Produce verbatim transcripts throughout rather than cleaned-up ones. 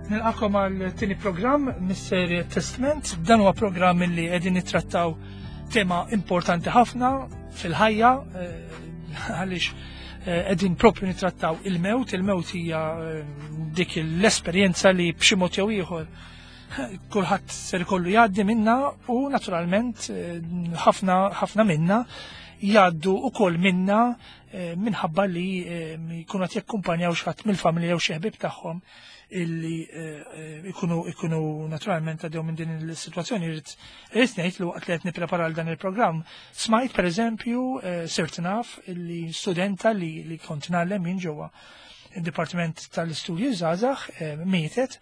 Nilqakom għal tieni programm mis-serje Testament. Dan huwa programm li qegħdin nittrattaw tema importanti ħafna fil-ħajja eh, għaliex eh, qegħdin propju nittrattaw il-mewt. Il-mewt hija eh, dik l-esperjenza li b'xi mod jew ieħor kulħadd ser ikollu jgħaddi minna u naturalment ħafna ħafna minna jgħaddu ukoll minna minħabba li jkunu qed jakkumpanjaw xi ħadd mill-familja jew xi ħbieb tagħhom illi ikunu ikunu naturalment għaddew minn din il-sitwazzjoni. Irrid irrid ngħid li waqt li qed nipprepara għal dan il-programm smajt, pereżempju, sirt naf illi studenta li li kont ngħallem jien ġewwa il-Dipartiment tal-Istudji Żgħażagħ mietet,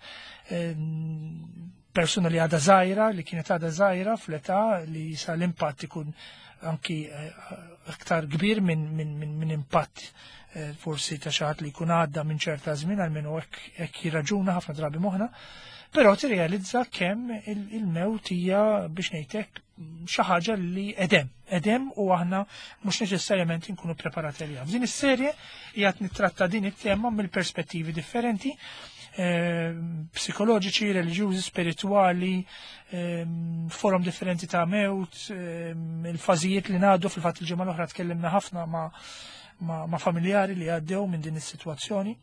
persuna li għadha żgħira, li kienet għadha żgħira fl-età, li sa l-impatt ikun anki aktar kbir minn min, min, min impatt forsi ta' xi ħadd li jkun għadda minn ċerta żmien, għalmenu hekk jirraġuna ħafna drabi moħħna, però tirrealizza kemm il-mewt hija, biex ngħidlek, xi ħaġa li edem, edem u aħna mhux neċessarjament inkunu preparati għaliha. F'din is-serje qiegħed nittratta din it-tema mill-perspettivi differenti, psikoloġiċi, reliġjużi, spirituali, forom differenti ta' mewt, il-fażijiet li ngħaddu. Fil-fatt, il-ġimgħa l-oħra tkellimna ħafna ma' ma', ma familjari li għaddew minn din is-sitwazzjoni.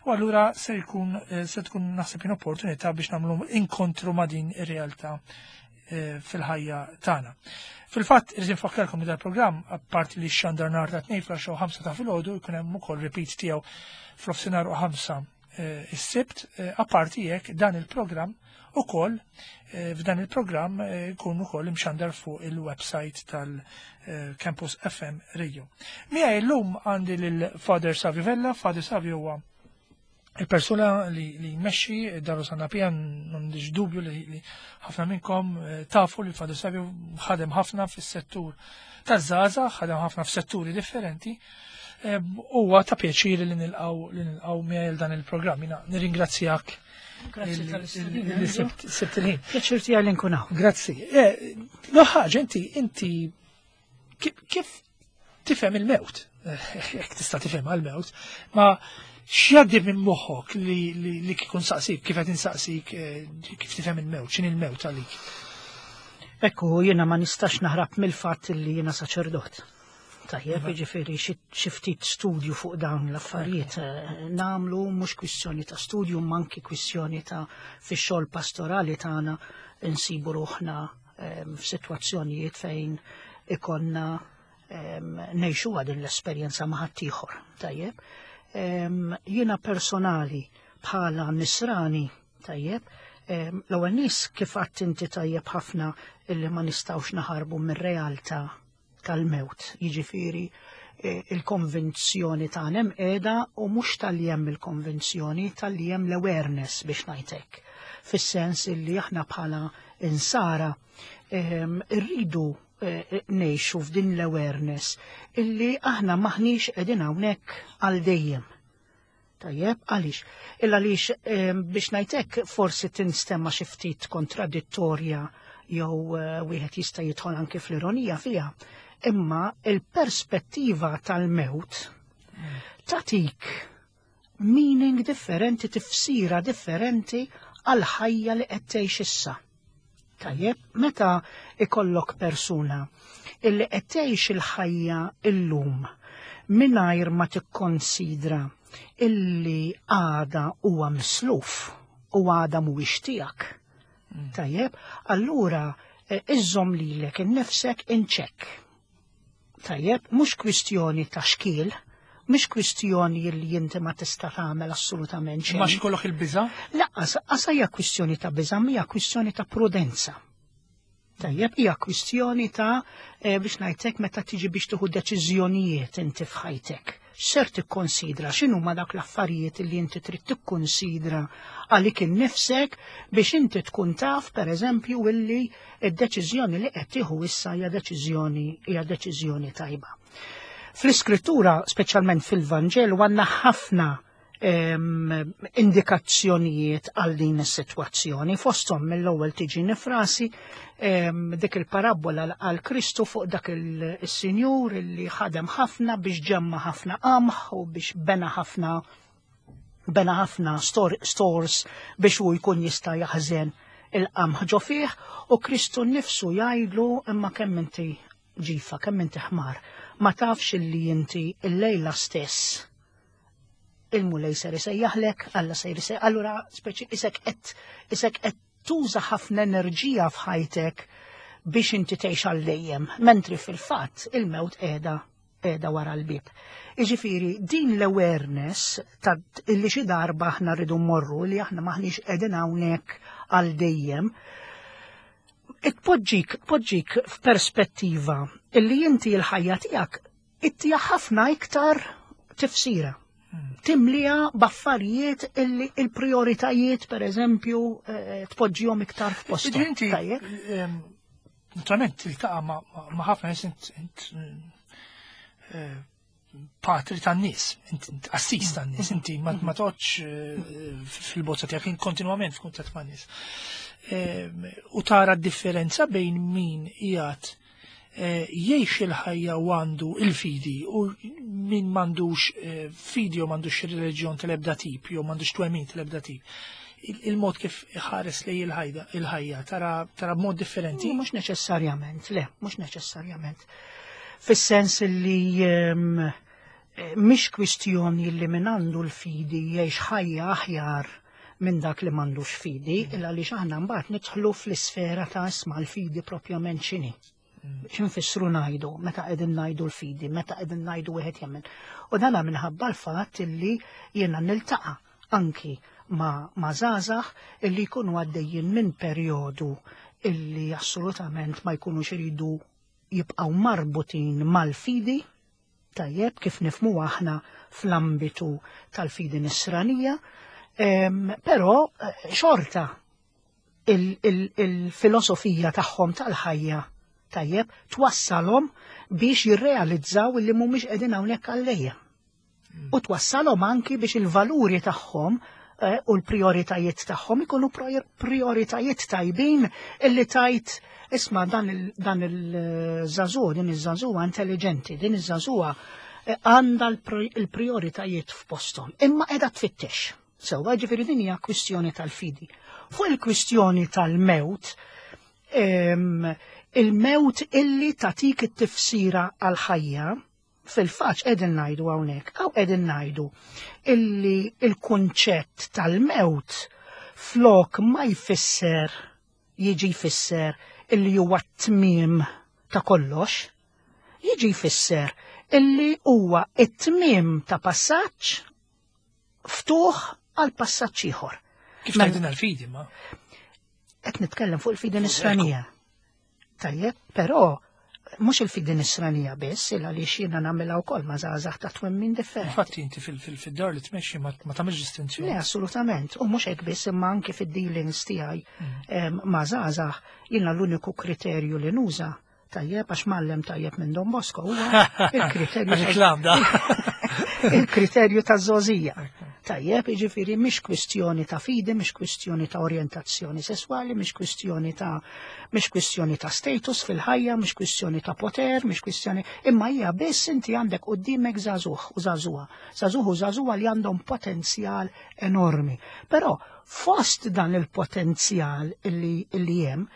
U allura se jkun se tkun, naħseb, opportunità biex nagħmlu inkontru ma' din ir-realtà fil-ħajja tagħna. Fil-fatt, irrid infakkarkom li dal-programm, apparti li xandar nhar ta' Tnejn fl ħamsa ta' filgħodu, jkun hemm ukoll repeat tiegħu fl-ofsinhar u ħamsa is-Sibt. Apparti hekk, dan il-programm ukoll, f'dan il-programm jkun ukoll imxandar fuq il-website tal-Campus F M Radio. Miegħi llum għandi lil Father Savio Vella. Father Savio huwa il-persuna li, li jmexxi Dar Rosanna Pia. M'għandix dubju li, li ħafna minnkom eh, tafu li Father Savio ħadem ħafna fis-settur taż-żgħażagħ, ħadem ħafna f'setturi differenti. Eh, Huwa ta' pjaċir li nilqgħu li nilqgħu miegħi dan il-programm. Jiena nirringrazzjak Grazzi li- tal-istedina. li sibt sibt il-ħin. Pjaċir tiegħi li nkun hawn. Grazzi. Eh, No ħaġa, inti inti kif, kif tifhem il-mewt? Eh, Jekk tista' tifhem għal-mewt, ma x'jgħaddi minn moħħok li li, li kieku nsaqsik, kif qed insaqsik eh, kif tifhem il-mewt, x'inhi il-mewt għalik? Ekku, jiena ma nistax naħrab mill-fatt li jiena saċerdot. Tajjeb, jiġifieri xi xi ftit studju fuq dawn l-affarijiet eh, nagħmlu, mhux kwistjoni ta' studju, ma anki kwistjoni ta' fix-xogħol pastorali tagħna insibu ruħna em, f'sitwazzjonijiet fejn ikonna em, ngħixu din l-esperjenza ma' ħaddieħor. Tajjeb. Em, Jiena personali bħala nisrani, tajjeb, em, l-ewwel nies, kif għedt inti tajjeb ħafna, illi ma nistgħux naħarbu mir-realtà tal-mewt. Jiġifieri eh, il-konvenzjoni ta' hemm qiegħda u mhux talli hemm il-konvenzjoni, talli hemm l-awareness, biex ngħidlek. Fis-sens illi aħna bħala insara em, irridu eh, ngħixu f'din l-awareness illi aħna maħniex qegħdin hawnhekk għal dejjem. Tajjeb, għaliex? Illa għaliex, em, biex ngħidlek, forsi tinstema xi ftit kontradittorja jew eh, wieħed jista' jidħol anke fl-ironija fiha. Imma il-perspettiva tal-mewt tatik meaning differenti, tifsira differenti għal-ħajja li qed tgħix issa. Tajjeb, meta ikollok persuna illi qed tgħix il-ħajja illum mingħajr ma tikkonsidra illi għada huwa misluf u għada mhuwiex tiegħek. Tajjeb, allura eh, iżżomm lilek innifsek in check. Tajjeb, mhux kwistjoni ta' xkiel, mhux kwistjoni li inti ma tista' tagħmel assolutament xejn. Ma xi il-biża? Lanqas, qas hija kwistjoni ta' biża', hija kwistjoni ta' prudenza. Tajjeb, hija kwistjoni ta' eh, biex ngħidlek, meta tiġi biex tieħu deċiżjonijiet inti f'ħajtek. Ser tikkonsidra x'inhu ma dak l-affarijiet li inti trid tikkonsidra għalik innifsek biex inti tkun taf, pereżempju, illi id-deċiżjoni li qed tieħu issa hija deċiżjoni hija deċiżjoni tajba. Fl-iskrittura, speċjalment fil-Vanġelu, għandna ħafna em, indikazzjonijiet għal din is-sitwazzjoni. Fosthom, mill-ewwel tiġini f'rasi em, dik il-parabola għal Kristu fuq dak il-sinjur li ħadem ħafna biex ġemma ħafna qamħ u biex bena ħafna Bena ħafna stores biex hu jkun jista' jaħżen il-qamħ ġo fih, u Kristu nnifsu jgħidlu imma kemm inti ġifa, kemm inti ħmar, ma tafx illi inti il-lejla stess il-Mulej ser isejjaħlek, Alla ser isejjaħlek. Allura speċi isek qed isek qed tuża ħafna enerġija f'ħajtek biex inti tgħix għal dejjem, mentri fil-fatt il-mewt qiegħda qiegħda wara l-bieb. Jiġifieri din l-awareness ta' illi xi darba aħna rridu mmorru, li aħna maħniex qegħdin hawnhekk għal dejjem, tpoġġik tpoġġik f'perspettiva illi inti l-ħajja tiegħek ittija ħafna iktar tifsira. Timlija b'affarijiet illi il-prioritajiet, per eżempju, tpoġġihom iktar f'posthom. Inti, naturalment, tiltaqa' ma' ħafna nies, int patri tan-nies, int qassis tan-nies, inti ma toqgħodx fil-bozza tiegħek, kontinwament f'kuntatt man-nies. U tara d-differenza bejn min qiegħed jgħix il-ħajja u għandu il-fidi u min m'għandux fidi u m'għandux reliġjon tal-ebda tip jew m'għandux twemmin tal-ebda tip. Il-mod kif ħares lej il-ħajja tara tara b'mod differenti? Mhux neċessarjament, le, mhux neċessarjament. Fis-sens li mhix kwistjoni li min għandu l-fidi jgħix ħajja aħjar minn dak li m'għandux fidi, illa li aħna mbagħad nidħlu fl-isfera ta' isma' l-fidi propjament x'inhi. X'infissru ngħidu, meta qegħdin ngħidu l-fidi, meta qegħdin ngħidu wieħed jemmen. U dana minħabba l-fatt illi jiena niltaqa' anki ma' ma' żgħażagħ illi jkunu għaddejjin minn perjodu illi assolutament ma jkunux iridu jibqgħu marbutin mal-fidi, tajjeb, kif nifhmu aħna fl-ambitu tal-fidi nisranija, però xorta il-filosofija tagħhom tal-ħajja, tajjeb, twassalhom biex jirrealizzaw li mhumiex qegħdin hawnhekk għal-lejja. U twassalhom anki biex il-valuri tagħhom u l-prioritajiet tagħhom ikunu prioritajiet tajbin illi tajt isma' dan il-żagħżugħ, din iż-żagħżugħa intelligenti, din iż-żagħżugħa għandha l-prioritajiet f'posthom, imma qiegħda tfittex. Sewwa, ġifieri din hija kwistjoni tal-fidi. Fuq il-kwistjoni tal-mewt, il-mewt illi tatik it-tifsira għal-ħajja, fil-fatt qegħdin ngħidu hawnhekk, aw qegħdin ngħidu illi il-kunċett tal-mewt flok ma jfisser, jiġi jfisser illi huwa t-tmiem ta' kollox, jiġi jfisser illi huwa t-tmiem ta' passaġġ ftuħ għal passaġġ ieħor. Kif tgħidilna l-fidi ma? Qed nitkellem fuq il-fidi nisranija. Tajjeb, però mhux il-fidi nisranija biss, illa li jiena nagħmilha wkoll ma' żgħażagħ ta' twemmin differenti. Infatti inti fil-dar li tmexxi ma tagħmilx distinzjoni. Le, assolutament, u mhux hekk biss imma anke fid-dealings tiegħi ma' żgħażagħ jiena l-uniku kriterju li nuża, tajjeb, għax mallem tajjeb minn Don Bosco huwa il-kriterju Reklam da. il-kriterju ta' żgħożija. Tajjeb, jiġifieri mhix kwistjoni ta' fidi, mhix kwistjoni ta' orjentazzjoni sesswali, mhix kwistjoni ta' mhix kwistjoni ta' status fil-ħajja, mhix kwistjoni ta' poter, mhix kwistjoni, imma hija biss inti għandek quddiemek żagħżugħ u żagħżugħa, żagħżugħ u żagħżugħa li għandhom potenzjal enormi. Però fost dan il-potenzjal illi illi hemm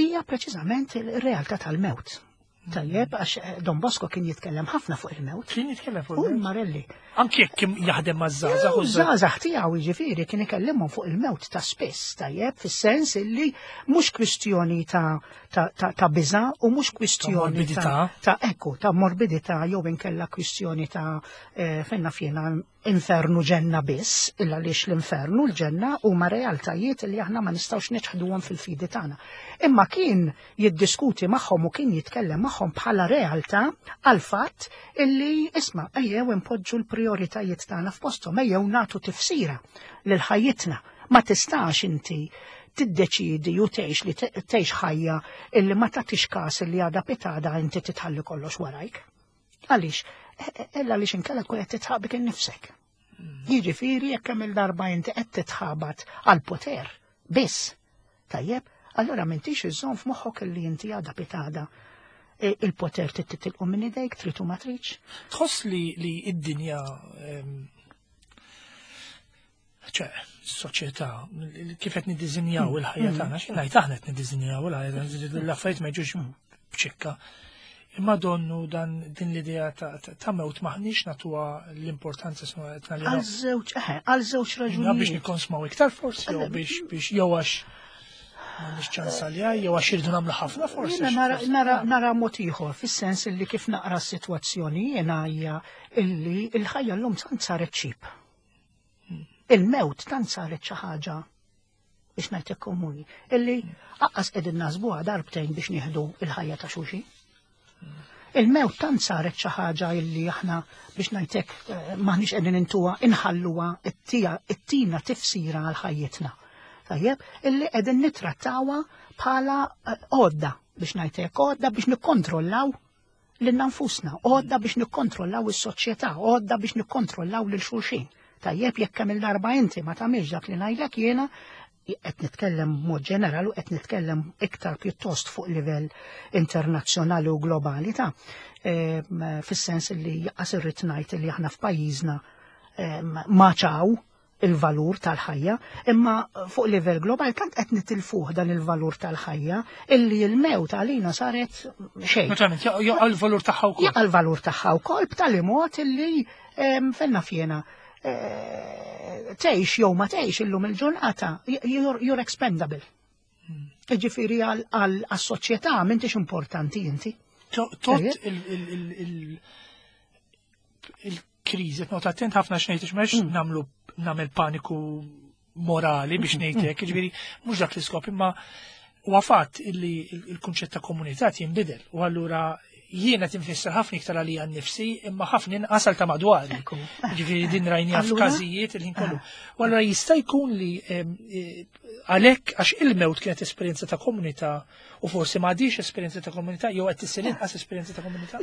hija preċiżament il-realtà tal-mewt. Tajjeb, għax Don Bosco kien jitkellem ħafna fuq il-mewt. Kien jitkellem fuq U il-mewt. Marelli. Anki jekk kien jaħdem maż-żgħażagħ u Żgħażagħ tiegħu jiġifieri kien ikellimhom fuq il-mewt ta' spiss, tajjeb, fis-sens illi mhux kwistjoni ta' ta' ta' ta' biża' u mhux kwistjoni morbidità. ta' ekku, ta' morbidità jew inkella kwistjoni ta' fejn naf jiena infernu ġenna biss, illa għaliex l-infernu l-ġenna huma realtajiet li aħna ma nistgħux neċħduhom fil-fidi tagħna. Imma kien jiddiskuti magħhom u kien jitkellem magħhom bħala realtà għal fatt illi isma' ejjew impoġġu l-prioritajiet tagħna f'posthom, ejjew nagħtu tifsira lil ħajjitna. Ma tistax inti tiddeċidi u tgħix li tgħix ħajja illi ma tagħtix każ illi għadha pitada inti titħalli kollox warajk. Għaliex? Illa għaliex inkella tkun qed titħabik innifsek. Jiġifieri jekk hemm il-darba inti qed titħabat għal poter biss. Tajjeb, allura m'intix iżżomm f'moħħok illi inti għadha pitada il-poter titilqu minn idejk, trid u ma tridx. Tħoss li li id-dinja ċe, soċjetà, kif qed niddiżinjaw il-ħajja tagħna, xi ngħid aħna qed niddiżinjaw il-ħajja, l-affarijiet ma jiġux b'ċikka. Imma donnu dan din l-idea ta' mewt maħniex natuha l-importanza snu qed Għal żewġ, eħe, għal żewġ raġunijiet. Biex nikkonsmaw iktar forsi, jew biex biex jew għax m'għandniex ċans għalija, jew għax irridu nagħmlu ħafna forsi. Jiena nara nara mod ieħor fis-sens illi kif naqra s-sitwazzjoni jiena hija illi l-ħajja llum tant saret cheap. Il-mewt tant saret xi ħaġa biex ngħidlek komuni, illi aqqas qegħdin naħsbuha darbtejn biex nieħdu il-ħajja ta' xulxin. Il-mewt tant saret xi ħaġa illi aħna biex ngħidlek maħniex qegħdin intuha inħalluha it-tina tifsira għal ħajjitna. Tajjeb, illi qegħdin nittrattawha bħala għodda biex ngħidlek għodda biex nikkontrollaw lil nfusna, għodda biex nikkontrollaw is-soċjetà, għodda biex nikkontrollaw lil xulxin. Tajjeb, jekk kemm il-darba inti ma tagħmilx dak li ngħidlek jiena, qed nitkellem b'mod ġenerali u qed nitkellem iktar pjuttost fuq livell internazzjonali u globali ta' fis-sens li jaqas irrid ngħid li aħna f'pajjiżna ma ċaw il-valur tal-ħajja, imma fuq livell globali tant qed nitilfuh dan il-valur tal-ħajja illi l-mewt għalina saret xejn. Naturalment, jaqa' l-valur tagħha wkoll. Jaqa' l-valur tagħha wkoll b'tali mod illi fenna fjena tgħix jew ma tgħix illum il-ġurnata, you're expendable. Ġifieri għal-soċjetà m'intix importanti inti. Tot il-kriżi, not attent ħafna x'ngħid m'hemmx nagħmlu nagħmel paniku morali biex ngħidlek, ġifieri mhux dak l-iskop, imma huwa fatt illi il-kunċett ta' komunità jinbidel u allura jiena tinfisser ħafna iktar għalija nnifsi imma ħafna inqas għal ta' madwari. Ġifieri din rajnija f'każijiet il-ħin kollu. U allura jista' jkun li għalhekk għax il-mewt kienet esperjenza ta' komunità u forsi m'għadix esperjenza ta' komunità jew qed issir inqas esperjenza ta' komunità.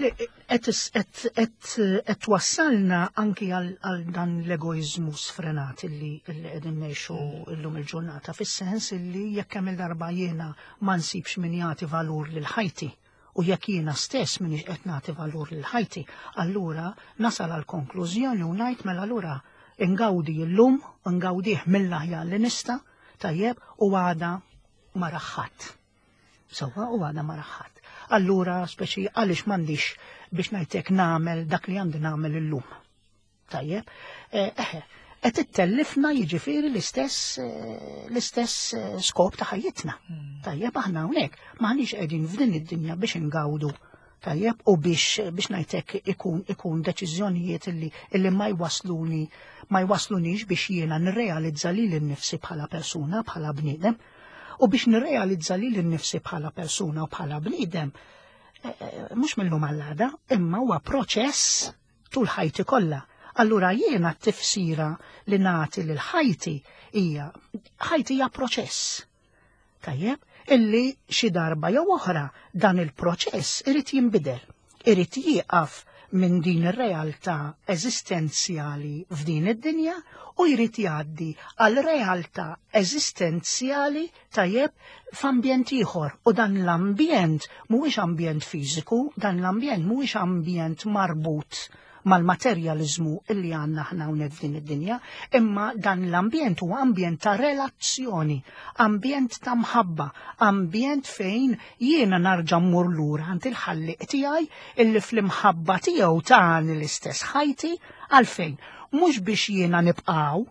Qed twassalna anki għal dan l-egoiżmu sfrenat illi qegħdin ngħixu llum il-ġurnata fis-sens illi jekk hemm il-darba jiena ma nsibx min jagħti valur lil ħajti u jekk jiena stess minix qed nagħti valur lil ħajti, allura nasal għal konklużjoni u ngħid mela allura ingawdi llum, ingawdih mill-aħjar li nista', tajjeb, u għada ma raħħat. Sewwa, u għada ma raħħat. Allura speċi għaliex m'għandix biex ngħidlek nagħmel dak li għandi nagħmel illum. Tajjeb, eħe, qed ittellifna jiġifieri l-istess l-istess skop ta' ħajjitna. Tajjeb, aħna hawnhekk m'aħniex qegħdin f'din id-dinja biex ingawdu. Tajjeb, u biex biex ngħidlek ikun ikun deċiżjonijiet illi illi ma jwasluni ma jwaslunix biex jiena nirrealizza lili nnifsi bħala persuna, bħala bniedem, u biex nirrealizza lili nnifsi bħala persuna u bħala bniedem, mhux minnhom għall-għada, imma huwa proċess tul ħajti kollha. Allura jiena t-tifsira li nagħti lil ħajti hija ħajti hija proċess. Tajjeb, illi xi darba jew oħra dan il-proċess irid jinbidel, irid jieqaf minn din ir-realtà eżistenzjali f'din id-dinja u jrid jgħaddi għal realtà eżistenzjali tajjeb f'ambjent ieħor. U dan l-ambjent mhuwiex ambjent fiżiku, dan l-ambjent mhuwiex ambjent marbut mal-materjalizmu illi għandna aħna hawnhekk f'din id-dinja, imma dan l-ambjent huwa ambjent ta' relazzjoni, ambjent ta' mħabba, ambjent fejn jiena narġa' mmur lura għand il-ħallieq tiegħi illi fl-imħabba tiegħu tani l-istess ħajti għalfejn mhux biex jiena nibqgħu,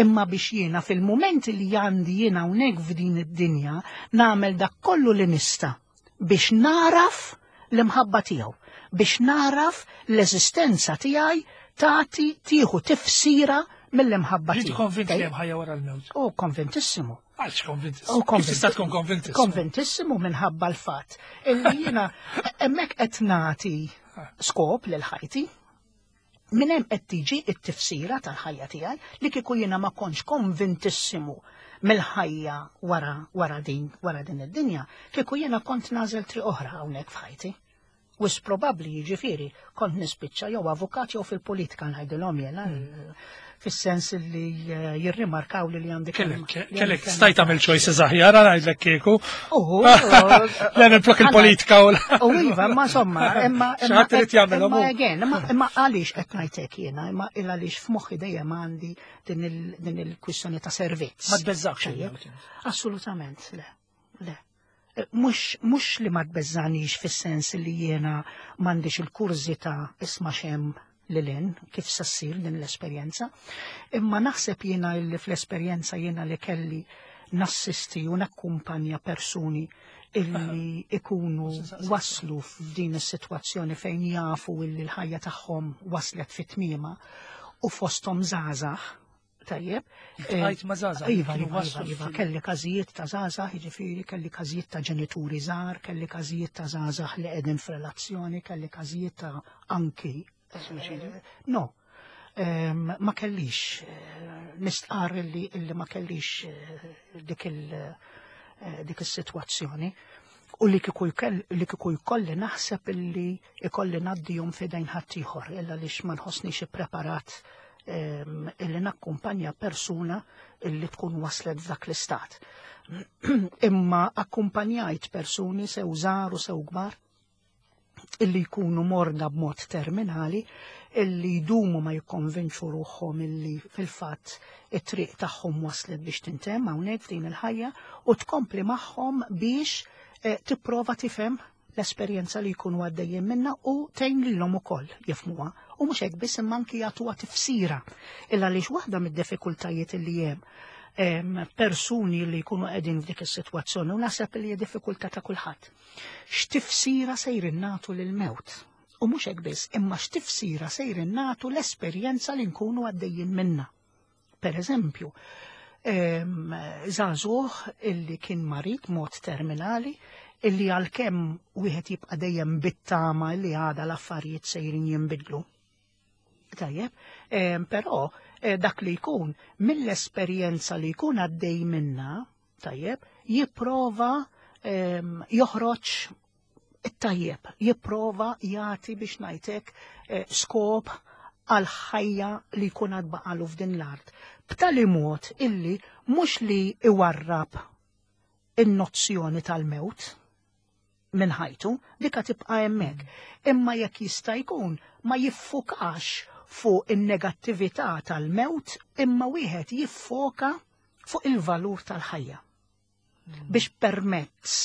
imma biex jiena fil-mument li għandi jiena hawnhekk f'din id-dinja nagħmel dak kollu li nista' biex naraf l-imħabba tiegħu, biex naraf l-eżistenza tiegħi tagħti tieħu tifsira mill-imħabba Ġiet tiegħu. konvint li hemm ħajja wara l-mewt? Oh, konvintissimo. Għalx konvintissimo? Oh, Kif tista' tkun konvintissimo? Konvintissimo minħabba l-fatt illi jiena hemmhekk qed nagħti skop lil ħajti. Minn hemm qed tiġi t-tifsira tal-ħajja tiegħi li kieku jiena ma kontx konvintissimu mill-ħajja wara wara din wara din id-dinja, kieku jiena kont nagħżel triq oħra hawnhekk f'ħajti. Wisq probabbli, jiġifieri, kont nispiċċa jew avukat jew fil-politika, ngħidilhom jena, fis-sens li eh, jirrimarkaw li li għandi Kellek, kelma- li kellek għandi stajt tagħmel choices aħjar, ngħidlek kieku. Uhu, Le minflok il-politika u l- U iva, ma insomma, imma Xi ħadd irid jagħmelhom imma hu. again, imma imma għaliex qed ngħidlek jiena, imma il għaliex f'moħħi dejjem għandi din il- din il-kwistjoni ta' servizz. Ma tbeżżakx Tajjeb? il-mewt. Assolutament, le, le. Mux, mux li ma tbeżżanix fis-sens li jiena m'għandix il-kurżità isma' x'hemm lil hinn, kif se ssir din l-esperjenza, imma naħseb jiena li fl-esperjenza jiena li kelli nassisti u nakkumpanja persuni illi ikunu waslu f'din is-sitwazzjoni fejn jafu illi l-ħajja tagħhom waslet fit-tmiema u fosthom żgħażagħ, tajjeb. Iltqajt ma' żgħażagħ, Iva, kienu iva, waslu iva, iva, fil- kelli każijiet ta' żgħażagħ, jiġifieri kelli każijiet ta' ġenituri żgħar, kelli każijiet ta' żgħażagħ li qegħdin f'relazzjoni, kelli każijiet ta' anki. Suwiċidju? eh, No, Em, ma kellix, eh, nistqar illi, illi ma kellix eh, dik il- eh, dik is-sitwazzjoni. U li kieku jkell- li kieku jkolli naħseb illi ikolli ngħaddihom f'idejn ħaddieħor, illa lix ma nħossnix ippreparat em, illi nakkumpanja persuna illi tkun waslet f'dak l-istat. Imma akkumpanjajt persuni sew żgħar u sew kbar illi jkunu morda b'mod terminali, illi jdumu ma jikkonvinċu ruħhom illi fil-fatt it-triq tagħhom waslet biex tintemm hawnhekk f'din il-ħajja u tkompli magħhom biex eh, tipprova tifhem l-esperjenza li jkunu għaddejjin minna u tgħin lilhom ukoll jifhmuha. U mhux hekk biss, imma anki jagħtuha tifsira. Illa għaliex waħda mid-diffikultajiet illi hemm em, persuni li jkunu qegħdin f'dik is-sitwazzjoni, u naħseb li hija diffikultà ta' kulħadd. X'tifsira sejrin nagħtu lil-mewt? U mhux hekk biss, imma x'tifsira sejrin nagħtu l-esperjenza li nkunu għaddejjin minna? Per eżempju, em, żagħżugħ illi kien marid mod terminali, illi għalkemm wieħed jibqa' dejjem bit-tama li għada l-affarijiet sejrin jinbidlu. Tajjeb, em, però eh, dak li jkun mill-esperjenza li jkun għaddej minna, tajjeb, jipprova em, joħroġ it-tajjeb, jipprova jagħti, biex ngħidlek, eh, skop għal ħajja li jkun għad baqalu f'din l-art. B'tali mod illi mhux li iwarrab in-nozzjoni tal-mewt minn ħajtu, dika tibqa' hemmhekk. Imma jekk jista' jkun ma jiffukax fuq in-negattività tal-mewt, imma wieħed jiffoka fuq il-valur tal-ħajja. Biex permezz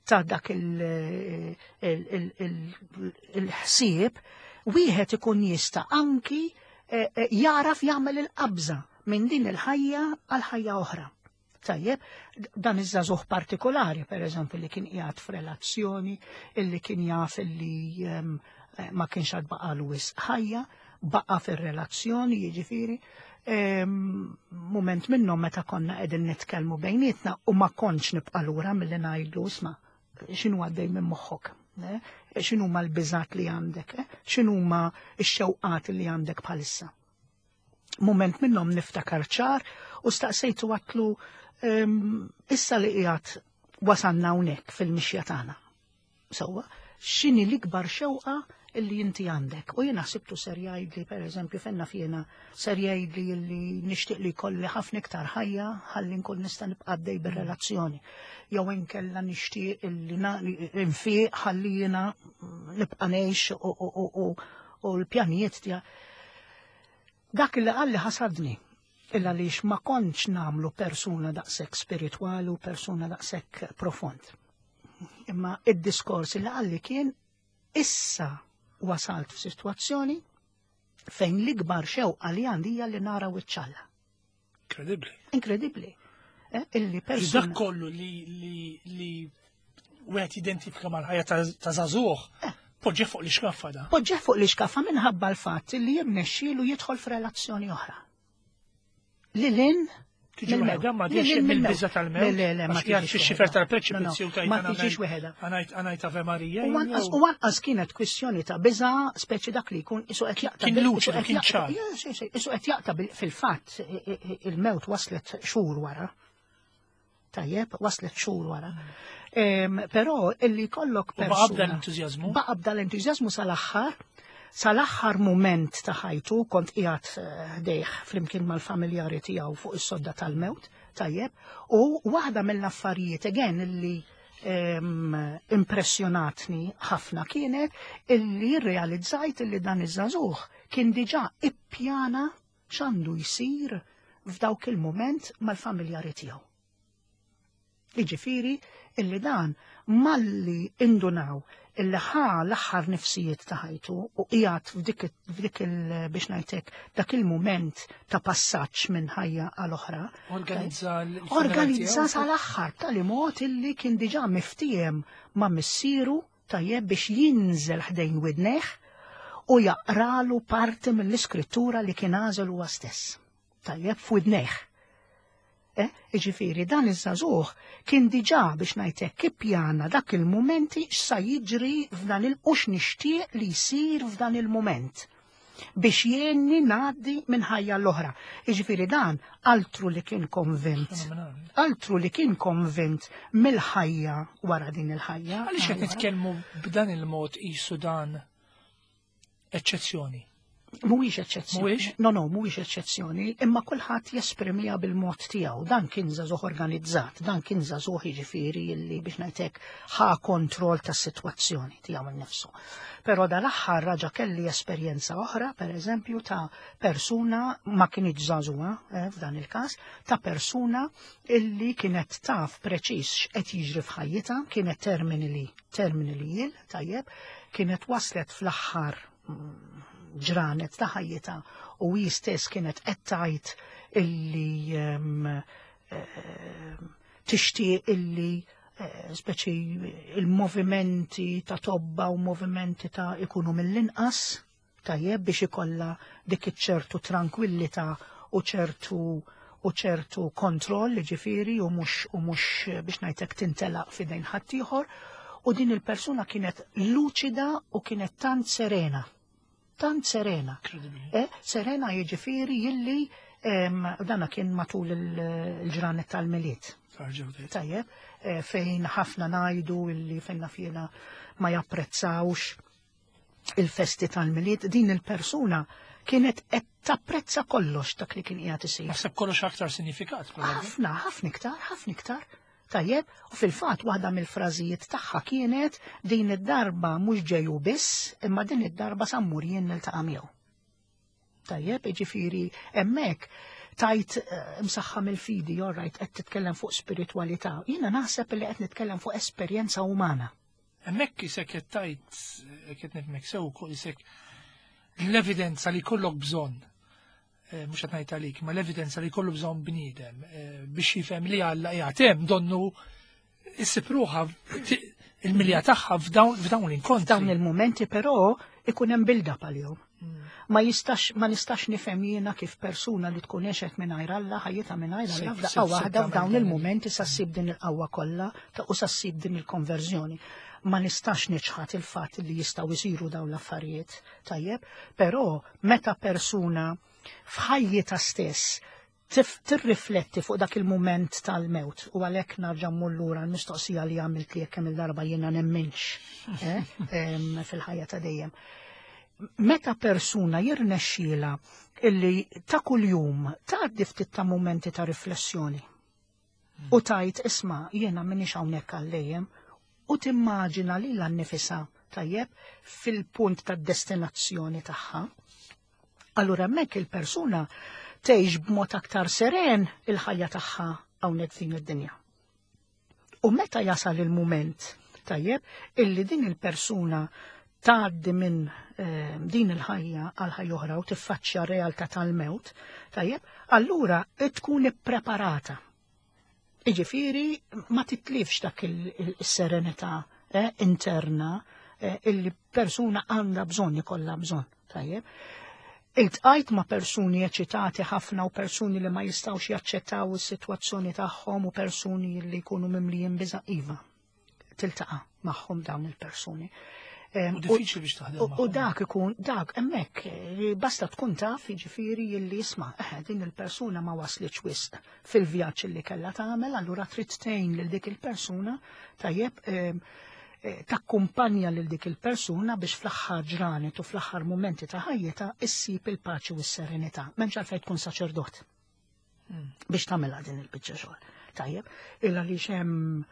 ta' dak il- il- il- il- il-ħsieb wieħed ikun jista' anki eh, eh, jaraf jagħmel il-qabża minn din il-ħajja għal ħajja oħra. Tajjeb, dan iż-żagħżugħ partikolari, per eżempju, li kien qiegħed f'relazzjoni, illi kien jaf illi em, eh, ma kienx għad baqalu wisq ħajja, baqa fir-relazzjoni, jiġifieri, em, moment minnhom meta konna qegħdin nitkellmu bejnietna u ma kontx nibqa' lura milli ngħidlu, "Isma', x'inhu għaddej minn moħħok? Eh? X'inhu ma l-biżat li għandek? Eh? X'inhu ma x-xewqat li għandek bħalissa?" Moment minnhom niftakar ċar u staqsejtu, għedtlu, em, "Issa li qiegħed wasanna hawnhekk fil-mixja tagħna. Sewwa, x'inhi l-ikbar xewqa illi inti għandek?" U jiena ħsibtu ser jgħidli, per eżempju, fenna fjena, ser jgħidli illi nixtieq li jkolli ħafna iktar ħajja ħalli nkun nista' nibqa' għaddej bir-relazzjoni. Jew inkella nixtieq illi na- nfiq ħalli jiena nibqa' ngħix u- u- u- u- u l-pjanijiet tiegħi. Dak li qalli ħasadni, illa lix ma kontx nagħmlu persuna daqshekk spiritwali u persuna daqshekk profond. Imma id-diskors li qalli kien, "Issa wasalt f'sitwazzjoni fejn l-ikbar xewqa li għandi hija li nara wiċċ Alla." Incredibli. Inkredibbli. Eh, illi persuna. Dak kollu li li li wieħed identifika mal-ħajja ta' ta' żagħżugħ, poġġe fuq l-ixkaffa da. Poġġeħ fuq l-iskaffa minħabba l-fatt li jirnexxielu jidħol f'relazzjoni oħra. Lil hinn Tiġi waħedha, ma tiġi mill-biża tal-mewt. Le, le, le, ma Għax qiegħed tiġix fix-xifer waħedha. tal-preċipizju No, no, tajt ma għana tiġix ngħid- waħedha. Għanajt għanajt Ave Marija. U anqas u anqas kienet kwistjoni ta' biża, speċi dak li jkun isu qed jaqta' Kien bil- luċidu, isu qed kien jaqta' ċar. Ja, sì, sì, isu qed jaqta' bil- fil-fatt i- i- il-mewt waslet xhur wara. Tajjeb, waslet xhur wara. Però illi kollok persuna. Baqa b'dal-entużjażmu? Baqa b'dal-entużjażmu sal-aħħar, sal-aħħar mument ta' ħajtu kont qiegħed ħdejh flimkien mal-familjari tiegħu fuq is-sodda tal-mewt, tajjeb, u waħda mill-affarijiet again illi impressjonatni ħafna kienet illi realizzajt illi dan iż-żagħżugħ kien diġà ippjana x'għandu jsir f'dawk il-moment mal-familjari tiegħu. Jiġifieri illi dan malli indunaw illi ħa l-aħħar nifsijiet ta' ħajtu u qiegħed f'dik il biex ngħidlek dak il-mument ta' passaġġ minn ħajja għal oħra. Organizza Organizza sal-aħħar tali mod illi kien diġà miftiem ma' missieru tajjeb biex jinżel ħdejn widnejh u jaqralu parti mill-iskrittura li kien għażel huwa stess. Tajjeb f'widnejh. Eh, Jiġifieri, dan iż-żagħżugħ kien diġà biex ngħidlek ippjana dak il-momenti x'sa jiġri f'dan il- u x'nixtieq li jsir f'dan il-moment biex jenni ngħaddi minn ħajja l-oħra. Jiġifieri dan altru li kien konvint. Altru li kien konvint mill-ħajja wara din il-ħajja. Għaliex qed nitkellmu b'dan il-mod qisu dan eċċezzjoni? Mhuwiex eċċezzjoni. Mhuwiex? No, no, mhuwiex eċċezzjoni, imma kulħadd jesprimiha bil-mod tiegħu. Dan kien żagħżugħ organizzat, dan kien żagħżugħ jiġifieri illi biex ngħidlek ħa kontroll tas-sitwazzjoni tiegħu innifsu. Però dal-aħħar raġa kelli esperjenza oħra, per eżempju, ta' persuna ma kienx żagħżugħa eh, f'dan il-każ, ta' persuna illi kienet taf preċiż x'qed jiġri f'ħajjitha, kienet terminally terminally ill, tajjeb, kienet waslet fl-aħħar mm, ġranet ta' ħajjitha u hi stess kienet qed tgħid illi um, tixtieq illi eh, speċi il-movimenti ta' tobba u movimenti ta' ikunu mill-inqas tajjeb biex ikollha dik iċ-ċertu tranquillità u ċertu u ċertu kontroll ġifieri u mhux u mhux biex ngħidlek tintelaq f'idejn ħaddieħor u din il-persuna kienet luċida u kienet tant serena. Tant serena. Eh, serena jiġifieri illi em, dana kien matul il-ġranet tal-Milied. Tajjeb, eh, fejn ħafna ngħidu illi fejn fjena ma japprezzawx il-festi tal-Milied, din il-persuna kienet qed tapprezza kollox dak li kien qiegħed isir. Naħseb kollox aktar sinifikat. Ħafna, ħafna iktar, ħafna iktar. Tajjeb, u fil-fatt waħda mill-frażijiet tagħha kienet din id-darba mhux ġeju biss, imma din id-darba sa mmur jien niltaqa' miegħu. Tajjeb, jiġifieri hemmhekk tajt msaħħa mill-fidi, all right, qed titkellem fuq spiritualità. Jiena naħseb li qed nitkellem fuq esperjenza umana. Hemmhekk isek qed tajt qed nifhmek sew isek l-evidenza li kollok bżonn, mhux qed ngħid għalik, ma l-evidenza li kollu bżonn bniedem biex jifhem li Alla qiegħed hemm donnu issib ruħha il-milja tagħha f'dawn l-inkontri. F'dawn il-momenti però ikun hemm build-up għalihom. Ma jistax ma nistax nifhem jiena kif persuna li tkun għexet mingħajr Alla ħajjitha mingħajr Alla f'daqqa waħda f'dawn il-momenti sa ssib din il-qawwa kollha u sa ssib din il-konverżjoni. Ma nistax niċħad il-fatt li jistgħu jsiru dawn l-affarijiet, tajjeb, però meta persuna f'ħajjitha stess tirrifletti fuq dak il-moment tal-mewt u għalhekk narġa' mmur lura l-mistoqsija li għamilt li kemm il-darba jiena nemminx eh, fil-ħajja ta' dejjem. Meta persuna jirnexxiela illi ta' kuljum tgħaddi ftit ta' momenti ta' riflessjoni u tajt isma' jiena m'iniex hawnhekk għal dejjem u timmaġina lilha nnifisha tajjeb fil-punt tad-destinazzjoni tagħha. Allura hemmhekk il-persuna tgħix b'mod aktar seren il-ħajja tagħha hawnhekk f'din id-dinja. U meta jasal il-mument tajjeb illi din il-persuna tgħaddi minn eh, din il-ħajja għal ħajja oħra u tiffaċċja realtà tal-mewt, tajjeb, allura tkun ippreparata. Jiġifieri ma titlifx dak il-serenità eh, interna eh, illi persuna għandha bżonn ikollha bżonn, tajjeb. Iltqajt ma' persuni eċitati ħafna u persuni li ma jistgħux jaċċettaw is-sitwazzjoni tagħhom u persuni li jkunu mimlijin biża' iva. Tiltaqa' magħhom dawn il-persuni. U diffiċli biex taħdem. U dak ikun, dak, hemmhekk, basta tkun taf, jiġifieri illi isma', din il-persuna ma waslitx wisq fil-vjaġġ li kellha tagħmel, allura trid tgħin lil dik il-persuna, tajjeb, takkumpanja lil dik il-persuna biex fl-aħħar ġranet u fl-aħħar momenti ta' ħajjitha issib il-paċi u s-serenità. M'hemmx għalfejn tkun saċerdot biex tagħmilha din il-biċċa xogħol. Tajjeb, illa li hemm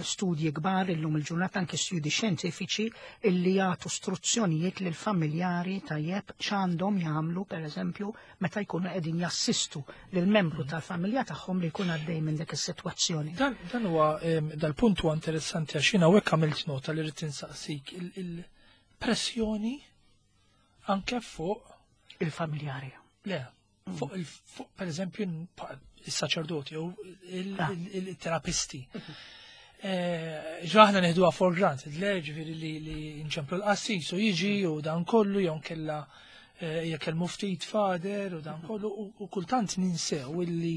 studji kbar illum il-ġurnata, anke studji xjentifiċi illi jagħtu istruzzjonijiet lil familjari, tajjeb, x'għandhom jagħmlu, pereżempju, meta jkunu qegħdin jassistu lil membru tal-familja tagħhom li jkun għaddej minn dik is-sitwazzjoni. Dan dan huwa dal-punt huwa interessanti għax jiena hawnhekk għamilt nota li rrid insaqsik il-pressjoni anke fuq il-familjari. Le, fuq il fuq per eżempju il-saċerdoti u il-terapisti. Ġaħna neħduha for granted, le, ġifieri li li nċemplu l-qassis u jiġi u dan kollu, jew kella jekk il-muftit fader u dan kollu, u kultant ninsew illi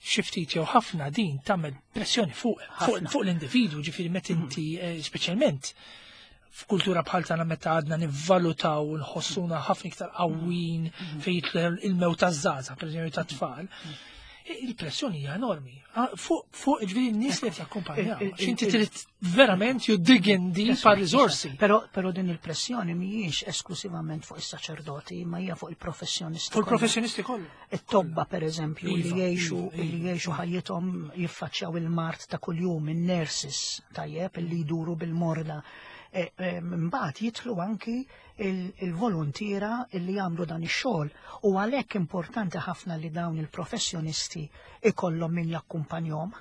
xi ftit jew ħafna din tagħmel pressjoni fuq fuq l-individwu, ġifieri meta inti, speċjalment f'kultura bħal tagħna, meta għadna nivvalutaw u nħossuna ħafna iktar qawwin fejn jidħol il-mewt taż-żgħażagħ, pereżempju tat-tfal, il-pressjoni hija enormi. Fuq fuq ġifieri n-nies li qed jakkumpanjaw. X'inti trid verament you dig in deep għal riżorsi. Però però din il-pressjoni mhijiex esklusivament fuq is-saċerdoti, ma hija fuq il-professjonisti. Fuq il-professjonisti kollha. It-tobba, pereżempju, li jgħixu li jgħixu ħajjithom jiffaċċjaw il-mard ta' kuljum, in-nurses, tajjeb, li jduru bil-morda. Mbagħad jidħlu anki il-volontiera li jagħmlu dan ix-xogħol u għalhekk importanti ħafna li dawn il-professjonisti ikollhom min jakkumpanjhom.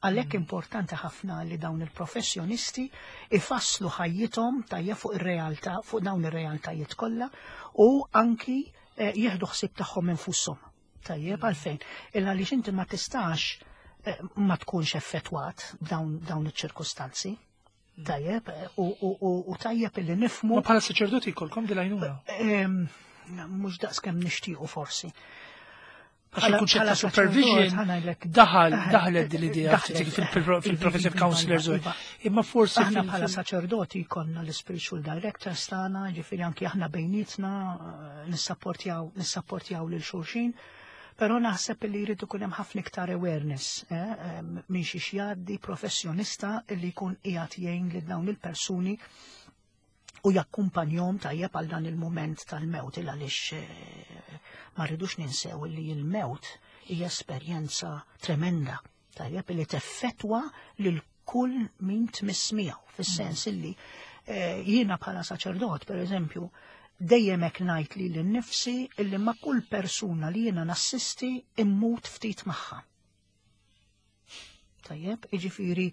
Għalhekk importanti ħafna li dawn il-professjonisti ifasslu ħajjithom, tajjeb, fuq ir-realtà, fuq dawn ir-realtajiet kollha u anki jieħdu ħsieb tagħhom infushom. Tajjeb, għalfejn? Illa għaliex inti ma tistax ma tkunx effettwat dawn dawn iċ-ċirkustanzi. Tajjeb, u tajjeb illi nifmu. Ma bħala saċerdoti jkollkom dil-għajnuna? Mhux daqs kemm nixtiequ forsi. Għax il-kunċett ta' supervision daħal daħlet din l-idea fil-professive counselors. Imma forsi Aħna bħala saċerdoti konna l-spiritual directors tagħna, ġifieri anki aħna bejnietna nissapportjaw nissapportjaw lil xulxin. Però naħseb li jrid ikun hemm ħafna iktar awareness minn xi jgħaddi professjonista li jkun qiegħed jgħin lil dawn il-persuni u jakkumpanjhom, tajjeb, għal dan il-mument tal-mewt, il għaliex ma rridux ninsew li l-mewt hija esperjenza tremenda, tajjeb, li teffettwa lil kull min tmiss miegħu, fis-sens illi jiena bħala saċerdot, per eżempju, dejjem hekk ngħid li lil-nifsi illi ma' kull persuna li jiena nassisti immut ftit magħha. Tajjeb, jiġifieri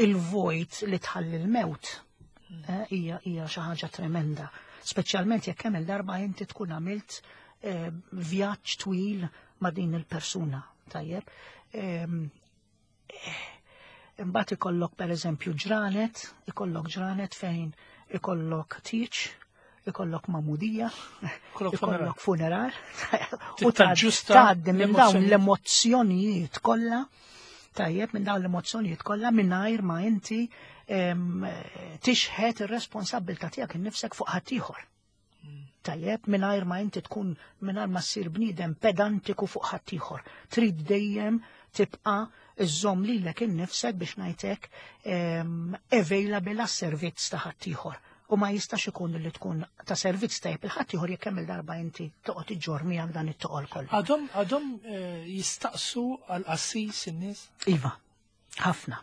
il-vojt li tħalli l-mewt hija hija xi ħaġa tremenda. Speċjalment jekk kemm il-darba inti tkun għamilt vjaġġ twil ma' din il-persuna. Tajjeb. Imbagħad ikollok, pereżempju, ġranet, ikollok ġranet fejn ikollok tieġ, ikollok magħmudija, ikollok funeral, u tgħaddi minn dawn l-emozzjonijiet kollha, tajjeb, minn dawn l-emozzjonijiet kollha mingħajr ma inti tixħet ir-responsabbiltà tiegħek innifsek fuq ħaddieħor. Tajjeb, mingħajr ma inti tkun, mingħajr ma ssir bniedem pedantiku fuq ħaddieħor. Trid dejjem tibqa' iżżomm lilek innifsek, biex ngħidlek, available għas-servizz ta' ħaddieħor. U ma jistax ikun li tkun ta' servizz tajjeb lil ħaddieħor jekk kemm il-darba inti toqgħod iġġorr miegħek dan it-toqol kollu. Għadhom għadhom jistaqsu għal qassis in-nies? Iva, ħafna,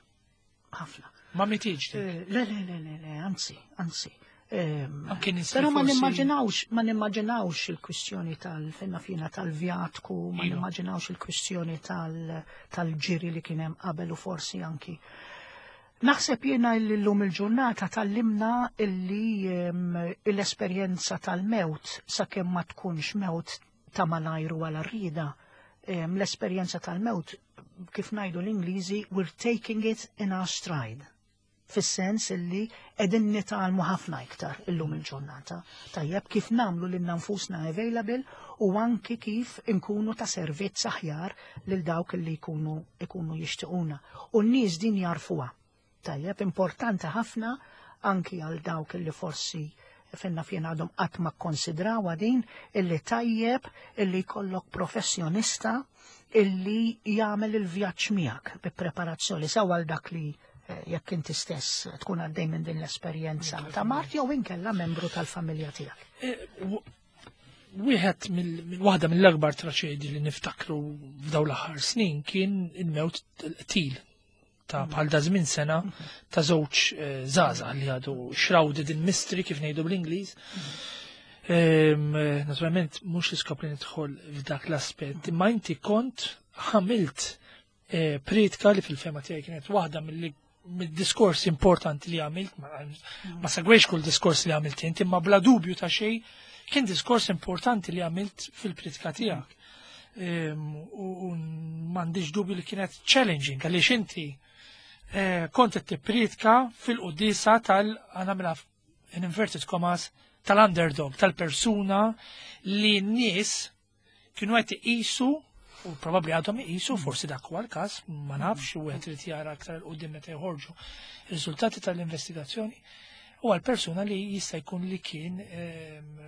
ħafna. Ma mitiġ? Le, le, le, le, le, anzi, anzi. Però ma nimmaġinawx, ma nimmaġinawx il-kwistjoni tal-fenna fina tal-vjatku, ma nimmaġinawx il-kwistjoni tal-ġiri li kien hemm qabel u forsi anki. Naħseb jiena li llum il-ġurnata tgħallimna illi l-esperjenza tal-mewt, sakemm ma tkunx mewt ta' malajru għal rida, l-esperjenza tal-mewt, kif ngħidu l-Ingliżi, we're taking it in our stride. Fis-sens illi qegħdin nitgħallmu ħafna iktar illum il-ġurnata. Tajjeb, kif nagħmlu lil nfusna available u anki kif inkunu ta' servizz aħjar lil dawk li jkunu ikunu jixtiequna. U n-nies din jarfuha. Tajjeb, importanti ħafna anki għal dawk illi forsi finna fjena għadhom qatt ma kkonsidrawha din, illi tajjeb illi jkollok professjonista illi jagħmel il-vjaġġ miegħek bi preparazzjoni sew għal dak li eh, jekk inti stess tkun għaddej minn din l-esperjenza ta' mard jew inkella membru tal-familja tiegħek. Eh, w- Wieħed mill waħda mill-akbar traċedji li niftakru f'dawn l-aħħar snin kien il-mewt qtil ta' bħal da żmien sena ta' żewġ eh, żgħażagħ li għadu shrouded in mystery, kif ngħidu bl-Ingliż. Ehm, eh, Naturalment mhux l-iskop li nidħol f'dak l-aspett, imma inti kont għamilt eh, priedka li fil-fehma tiegħi kienet waħda mill mid-diskors importanti li għamilt, ma, ma segwejx kull diskors li għamilt inti, imma bla dubju ta' xejn kien diskors importanti li għamilt fil-priedka tiegħek. Ehm, U u m'għandix dubju li kienet challenging, għaliex inti eh, kont qed tippriedka fil-quddiesa tal għanamela in inverted commas tal-underdog, tal-persuna li n-nies kienu qed iqisu u probabbli għadhom iqisu, forsi dak huwa l-każ, ma nafx, u qed irid jara aktar 'il quddiem meta joħorġu ir-riżultati tal-investigazzjoni, u għal persuna li jista' jkun li kien ehm,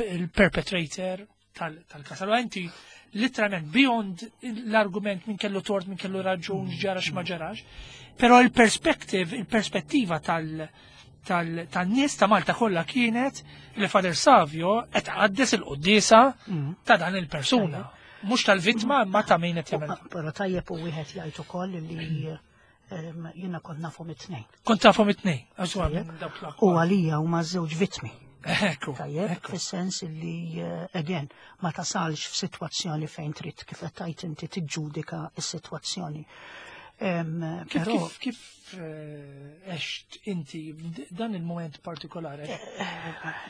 il-perpetrator tal-każ. Allora inti literalment beyond l-argument min kellu tort, min kellu raġun, ġara x'ma ġarax, però il-perspective, il-perspettiva tal- tal-nies ta' Malta kollha kienet li Father Savio qed qaddes il-quddiesa ta' dan il-persuna. Mhux tal-vittma, imma ta' min qed jagħmel. Però tajjeb u wieħed jgħid ukoll li ehm, jiena kont nafhom it-tnejn. Kont tafhom it-tnejn. Għax huwa minn dawk U l-akbar. għalija huma żewġ vittmi. Ekku. Tajjeb, ekku. fis-sens li eh, again, ma tasalx f'sitwazzjoni fejn trid, kif qed tgħid inti, tiġġudika s-sitwazzjoni. Em, Kif Però kif kif eh, għext inti dan il-moment partikolari?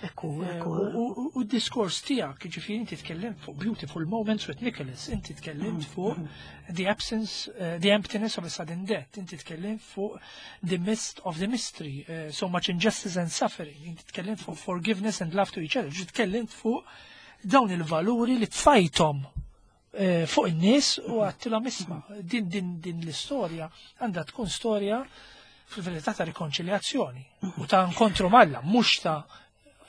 Ekku, Eh, ekku. U u- u d-diskors tiegħek, ġifieri inti tkellimt fuq Beautiful Moments with Nicholas, inti tkellimt fuq the absence, eh, the emptiness of a sudden death, inti tkellimt fuq the mist of the mystery, eh, so much injustice and suffering, inti tkellimt fuq forgiveness and love to each other, ġi tkellimt fuq dawn il-valuri li tfajthom eh, fuq in-nies u għedtilhom, "Isma', din din din l-istorja għandha tkun storja fil-verità ta' rikonċiljazzjoni u ta' inkontru m'Alla, mhux ta'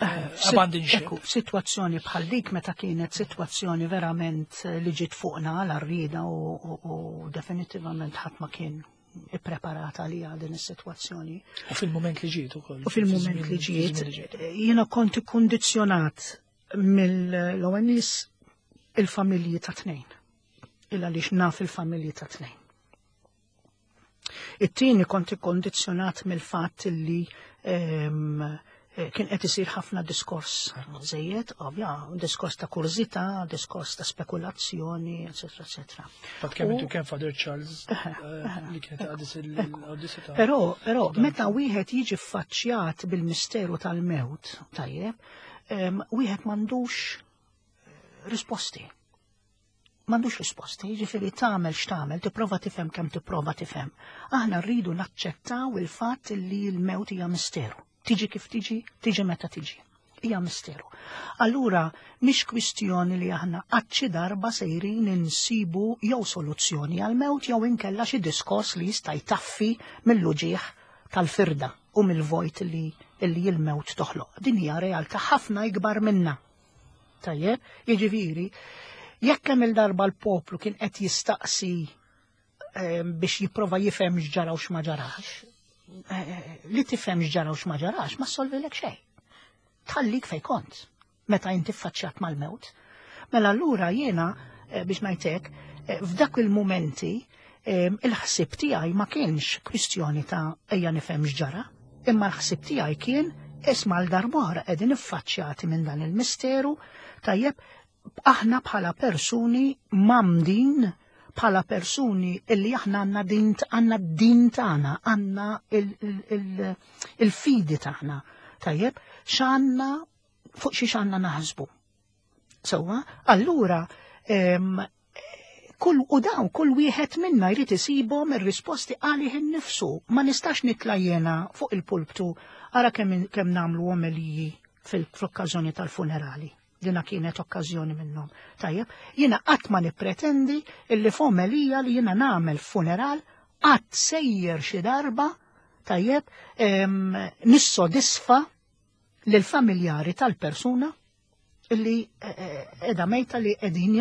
eh, abandon ship." Ekku, situazzjoni bħal dik, meta kienet situazzjoni verament eh, li ġiet fuqna għal rida u, u, u definitivament ħadd ma kien ippreparata li għal din is-sitwazzjoni. U fil-moment li ġiet ukoll. U fil-moment li ġiet, jiena kont ikkondizzjonat mill-ewwel nies il-familji ta' tnejn. Illa għaliex naf il-familji ta' tnejn. It-tieni, kont ikkondizzjonat mill-fatt li ehm, eh, kien qed isir ħafna diskors żejjed, ovvja, diskors ta' kurżità, diskors ta' spekulazzjoni, eċetera, eċetera. Fatt kemm U- intu kemm Father Charles eh, li kienet għadis il-quddiesa ta' Però, però, meta wieħed jiġi ffaċċjat bil-misteru tal-mewt, tajjeb, em, wieħed m'għandux eh, risposti. M'għandux risposti, jiġifieri tagħmel x'tagħmel, tipprova tifhem kemm tipprova tifhem. Aħna rridu naċċettaw il-fatt li l-mewt hija misteru. Tiġi kif tiġi, tiġi meta tiġi. Hija misteru. Allura, mhix kwistjoni li aħna qatt xi darba sejrin insibu jew soluzzjoni għal-mewt jew inkella xi diskors li jista' jtaffi mill-uġieħ tal-firda u mill-vojt li li l-mewt toħloq. Din hija realtà ħafna ikbar minna. Tajjeb, jiġifieri, jekk kemm il-darba l-poplu kien qed jistaqsi eh, biex jipprova jifhem x'ġara u x'ma ġarax, eh, li tifhem x'ġara u x'ma ġarax ma solvilek xejn. Tħallik fej kont meta inti ffaċċjat mal-mewt. Mela allura jiena eh, biex ngħidlek, eh, f'dak il-momenti eh, il-ħsib tiegħi ma kienx kwistjoni ta' ejja nifhem x'ġara, imma l-ħsib tiegħi kien, isma', għal darb'oħra qegħdin iffaċċjati minn dan il-misteru, tajjeb, aħna bħala persuni mgħammdin, bħala persuni illi aħna għandna din għandna din tagħna, għandna il-fidi tagħna. Tajjeb, x'għandna fuq xi x'għandna naħsbu. Sewwa, allura em, kull u dawn kull wieħed minna jrid isibhom ir-risposti għalih innifsu. Ma nistax nitla' jiena fuq il-pulptu, ara kemm kemm nagħmlu omeliji fil-okkażjoni tal-funerali. Dina kienet okkażjoni minnhom. Tajjeb, jiena qatt ma nippretendi illi f'omelija li jiena nagħmel funeral qatt sejjer xi darba tajjeb, nissodisfa lill-familjari tal-persuna illi edha mejta li edin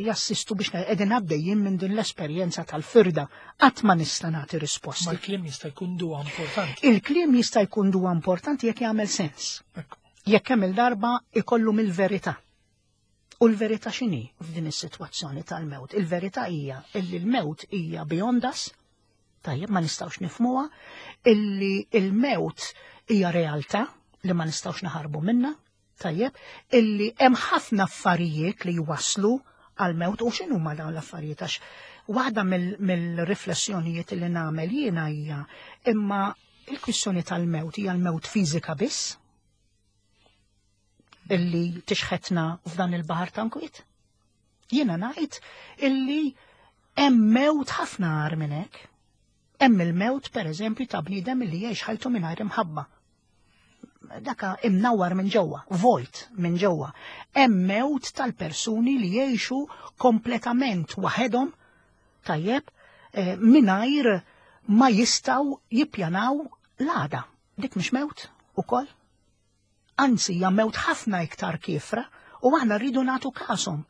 jassistu biex edin għaddejjin minn din l-esperjenza tal-firda. Qatt ma nista' nagħti risposti. Ma l-kliem jista' jkun duwa importanti. Il-kliem jista' jkun duwa importanti jekk jagħmel sens. Jekk hemm il-darba ikollu mill-verità. U l-verità x'inhi f'din is-sitwazzjoni tal-mewt? Il-verità hija illi l-mewt hija beyond us, tajjeb ma nistgħux nifhmuha, illi l-mewt hija realtà li ma nistgħux naħarbu minnha, tajjeb, illi hemm ħafna affarijiet li jwaslu għal-mewt. U x'inhu ma dawn l-affarijiet? Għax waħda mill-riflessjonijiet li nagħmel jiena hija imma il-kwistjoni tal-mewt hija l-mewt fiżika biss illi tixħetna f'dan il-baħar ta' nkwiet. Jiena ngħid illi hemm mewt ħafna agħar minn hekk. Hemm il-mewt pereżempju ta' bniedem illi jgħix ħajtu mingħajr imħabba. Daka imnawar minn ġewwa, vojt minn ġewwa. Hemm mewt tal-persuni li jgħixu kompletament waħedhom, tajjeb, mingħajr ma jistgħu jippjanaw l-għada. Dik mhix mewt ukoll? Anzi, hija mewt ħafna iktar kiefra u aħna rridu nagħtu kashom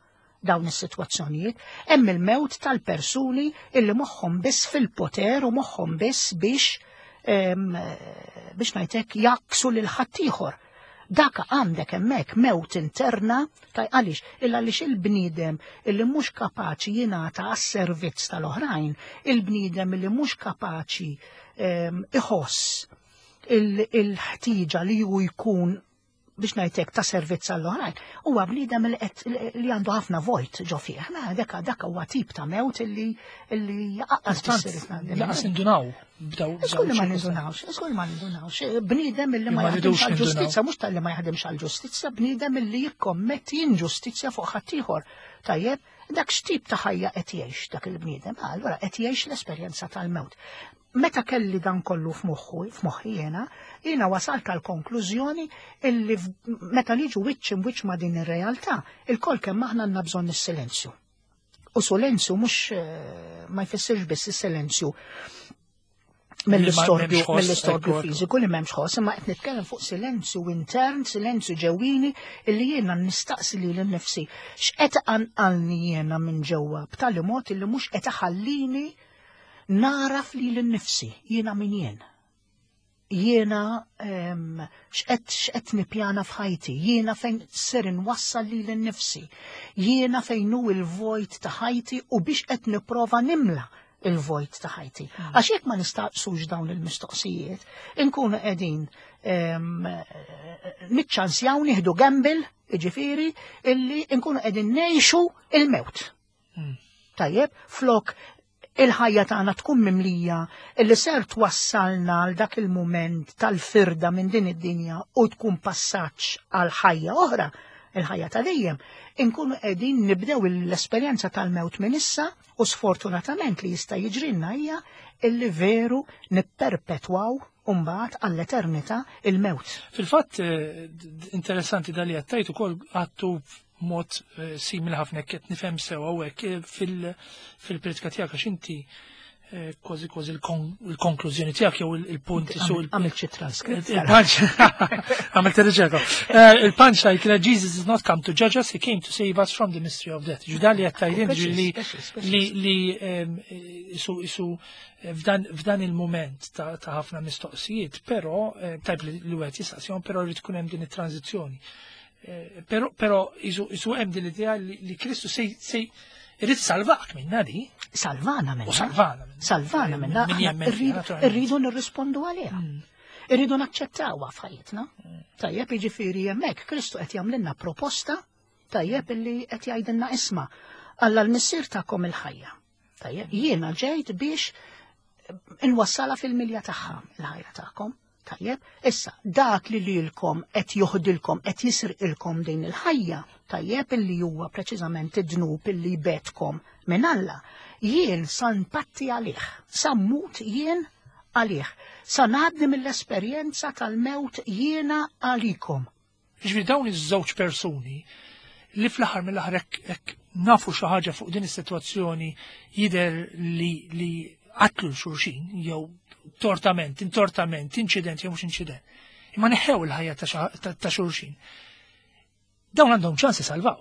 dawn is-sitwazzjonijiet. Hemm il-mewt tal-persuni illi moħħhom biss fil-poter u moħħhom biss biex biex ngħidlek jaksu lil ħaddieħor. Dak għandek hemmhekk mewt interna taj għaliex illa għaliex il-bniedem illi mhux kapaċi jingħata għas-servizz tal-oħrajn, il-bniedem illi mhux kapaċi iħoss il-ħtieġa li hu jkun biex ngħidlek ta' servizz għall-oħrajn, huwa bniedem li għandu ħafna vojt ġo fih. Dak dak huwa tip ta' mewt illi illi jaqqas Laqas nindunaw. Żgur li ma nindunawx, żgur ma nindunawx. Bniedem illi ma jaħdimx għall-ġustizzja, mhux tal-li ma jaħdimx għall-ġustizzja, bniedem illi jikkommetti inġustizzja fuq ħaddieħor. Tajjeb, dak x'tip ta' ħajja qed jgħix dak il-bniedem? Allura qed jgħix l-esperjenza tal-mewt. Meta kelli dan kollu f'moħħu, f'moħħi jiena, jiena wasalt għal konklużjoni illi meta niġu wiċċ imwiċċ ma' din ir-realtà, il-kol kemm aħna għandna bżonn is-silenzju. U silenzju mhux ma jfissirx biss is-silenzju mill-istorbju mill-istorbju fiżiku li m'hemmx ħoss, imma qed nitkellem fuq silenzju intern, silenzju ġewwini illi jiena nistaqsi lili nnifsi x'qed anqalni jiena minn ġewwa b'tali mod illi mhux qed iħallini naraf li l-nifsi, jiena min jien. Jiena x'qed x'qed nippjana f'ħajti, jiena fejn ser inwassal li l-nifsi, jiena fejn hu il-vojt ta' ħajti u biex qed nipprova nimla il-vojt ta' ħajti. Għax jekk ma nistaqsux dawn il-mistoqsijiet, inkunu qegħdin niċċansjaw nieħdu gamble, jiġifieri, illi nkunu qegħdin ngħixu il-mewt. Tajjeb, flok il-ħajja tagħna tkun mimlija illi ser twassalna għal dak il-mument tal-firda minn din id-dinja u tkun passaġġ għal ħajja oħra, il-ħajja ta' dejjem, inkunu qegħdin nibdew l-esperjenza tal-mewt minn issa u sfortunatament li jista' jiġrilna hija illi veru nipperpetwaw mbagħad għall-eternità il-mewt. Fil-fatt interessanti dali għattajt ukoll għattu mod simili ħafna qed nifhem sew hawnhekk fil-pritka tiegħek għax inti kważi kważi il-konklużjoni tiegħek jew il-punt su għamilt xi transkript. Il-punch għamilt ir-riċerka. Il-punch kienet Jesus is not come to judge us, he came to save us from the mystery of death. Ġu dan li qed tgħidin li li isu f'dan il-mument ta' ħafna mistoqsijiet, però tajb li wieħed jistaqsihom, però rrid tkun hemm din it-tranzizzjoni. Però però isu hemm din l-idea li Kristu sej sej irid salvak minna di. Salvana minna. U salvana minna. Salvana minna. Irridu nirrispondu għaliha. Irridu naċċettawha f'ħajjitna. Tajjeb, jiġifieri hemmhekk Kristu qed jagħmlilna proposta, tajjeb, illi qed jgħidilna isma' Alla l-missier tagħkom il-ħajja. Tajjeb, jiena ġejt biex inwassala fil-milja tagħha il-ħajja tagħkom. Tajjeb, issa dak li lilkom qed joħdilkom, qed jisirqilkom din il-ħajja, tajjeb, illi huwa preċiżament id-dnub illi betkom minn Alla, jien sa npatti għalih, sa mmut jien għalih, sa ngħaddi mill-esperjenza tal-mewt jiena għalikom. Ġifieri dawn iż-żewġ persuni li fl-aħħar mill-aħħar hekk nafu xi ħaġa fuq din is-sitwazzjoni jidher li li qatlu l-xulxin jew Tortament, intortament, inċident jew mhux inċident. Imma neħew il-ħajja ta' xulxin. Dawn għandhom ċans isalvaw.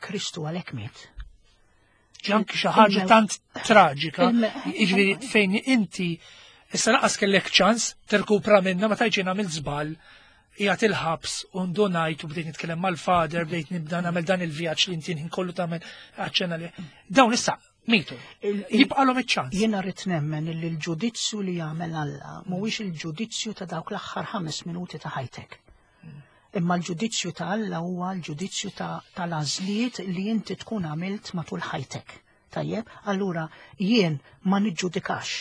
Kristu għalhekk miet. Anki xi ħaġa tant traġika, jiġifieri fejn inti issa laqas kellek ċans tirkupra minna ma tajġi nagħmel żball, qiegħed il-ħabs u ndunajt u bdejt nitkellem mal-father, bdejt nibda nagħmel dan il-vjaġġ li inti kollu tagħmel aċċenna li. Dawn issa mitu. Jibqalhom iċ-ċans. Jiena rrid nemmen li l-ġudizzju li jagħmel Alla mhuwiex il-ġudizzju ta' dawk l-aħħar ħames minuti ta' ħajtek. Imma l-ġudizzju ta' Alla huwa l-ġudizzju tal-għażliet li inti tkun għamilt matul ħajtek. Tajjeb, allura jien ma niġġudikax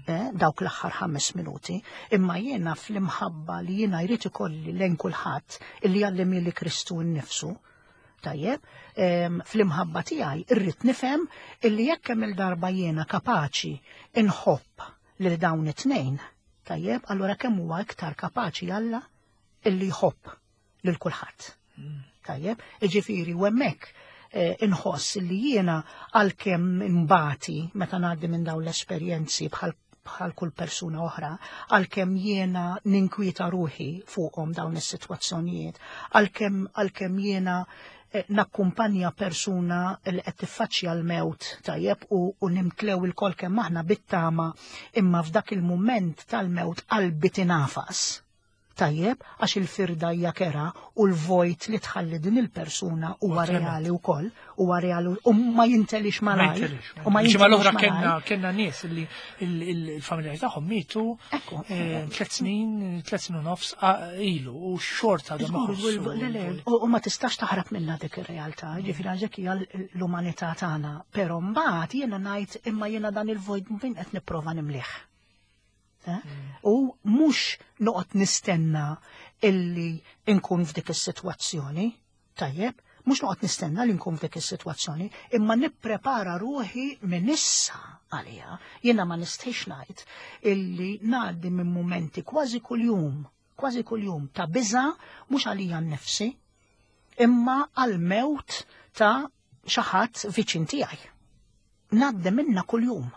eh, dawk l-aħħar ħames minuti, imma jiena fl-imħabba li jiena jrid ikolli lejn kulħadd illi għallimni li Kristu nnifsu. Tajjeb, fl-imħabba tiegħi irrid nifhem illi jekk hemm il-darba jiena kapaċi inħobb lil dawn it-tnejn, tajjeb, allura kemm huwa iktar kapaċi Alla illi jħobb lil kulħadd. Tajjeb, jiġifieri u hemmhekk inħoss li jiena għalkemm imbati meta ngħaddi minn dawn l-esperjenzi bħal bħal kull persuna oħra, għalkemm jiena ninkwieta ruħi fuqhom dawn is-sitwazzjonijiet, għalkemm għalkemm jiena nakkumpanja persuna li qed tiffaċċja l-mewt, tajjeb, u, u nimtlew il-kol kemm aħna bit-tama, imma f'dak il-mument tal-mewt qalbi tinafas. Tajjeb, għax il-firda hija kera u l-vojt li tħalli din il-persuna huwa reali wkoll, huwa reali u ma jintelix malajr. U ma jintelix l-oħra kellna kellna nies li il-familjari tagħhom mietu tliet snin, tliet snin u nofs ilu u xorta għadhom iħossu. U ma tistax taħrab minnha dik ir-realtà, ġifieri għax hija l-umanità tagħna, però mbagħad jiena ngħid imma jiena dan il-vojt min qed nipprova nimlih. U mhux noqgħod nistenna illi nkun f'dik is-sitwazzjoni, tajjeb, mhux noqgħod nistenna li nkun f'dik is-sitwazzjoni, imma nipprepara ruħi minn issa għaliha. Jiena ma nistgħix ngħid illi ngħaddi minn mumenti kważi kuljum, kważi kuljum ta' biża' mhux għalija nnifsi, imma għal-mewt ta' xi ħadd viċin tiegħi. Ngħaddi minna kuljum.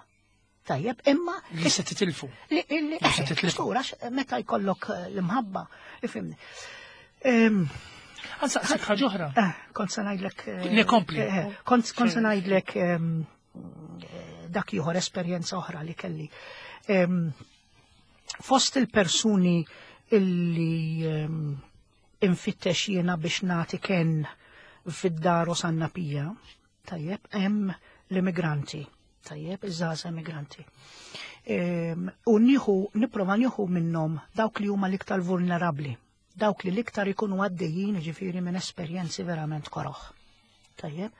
Tajjeb, imma li se titilfu. Li se titilfu. Meta jkollok l-imħabba, ifhimni. Għansaqsik ħaġa oħra. Kont se ngħidlek. Le kompli. Kont se ngħidlek dak ieħor esperjenza oħra li kelli. Fost il-persuni illi infittex jiena biex nagħti ken fid-dar Osanna Pia, tajjeb, hemm l-immigranti. Tajjeb, iż-żgħażagħ immigranti. U nieħu, nipprova nieħu minnhom dawk li huma l-iktar vulnerabbli, dawk li l-iktar ikunu għaddejjin ġifieri minn esperjenzi verament koroħ. Tajjeb.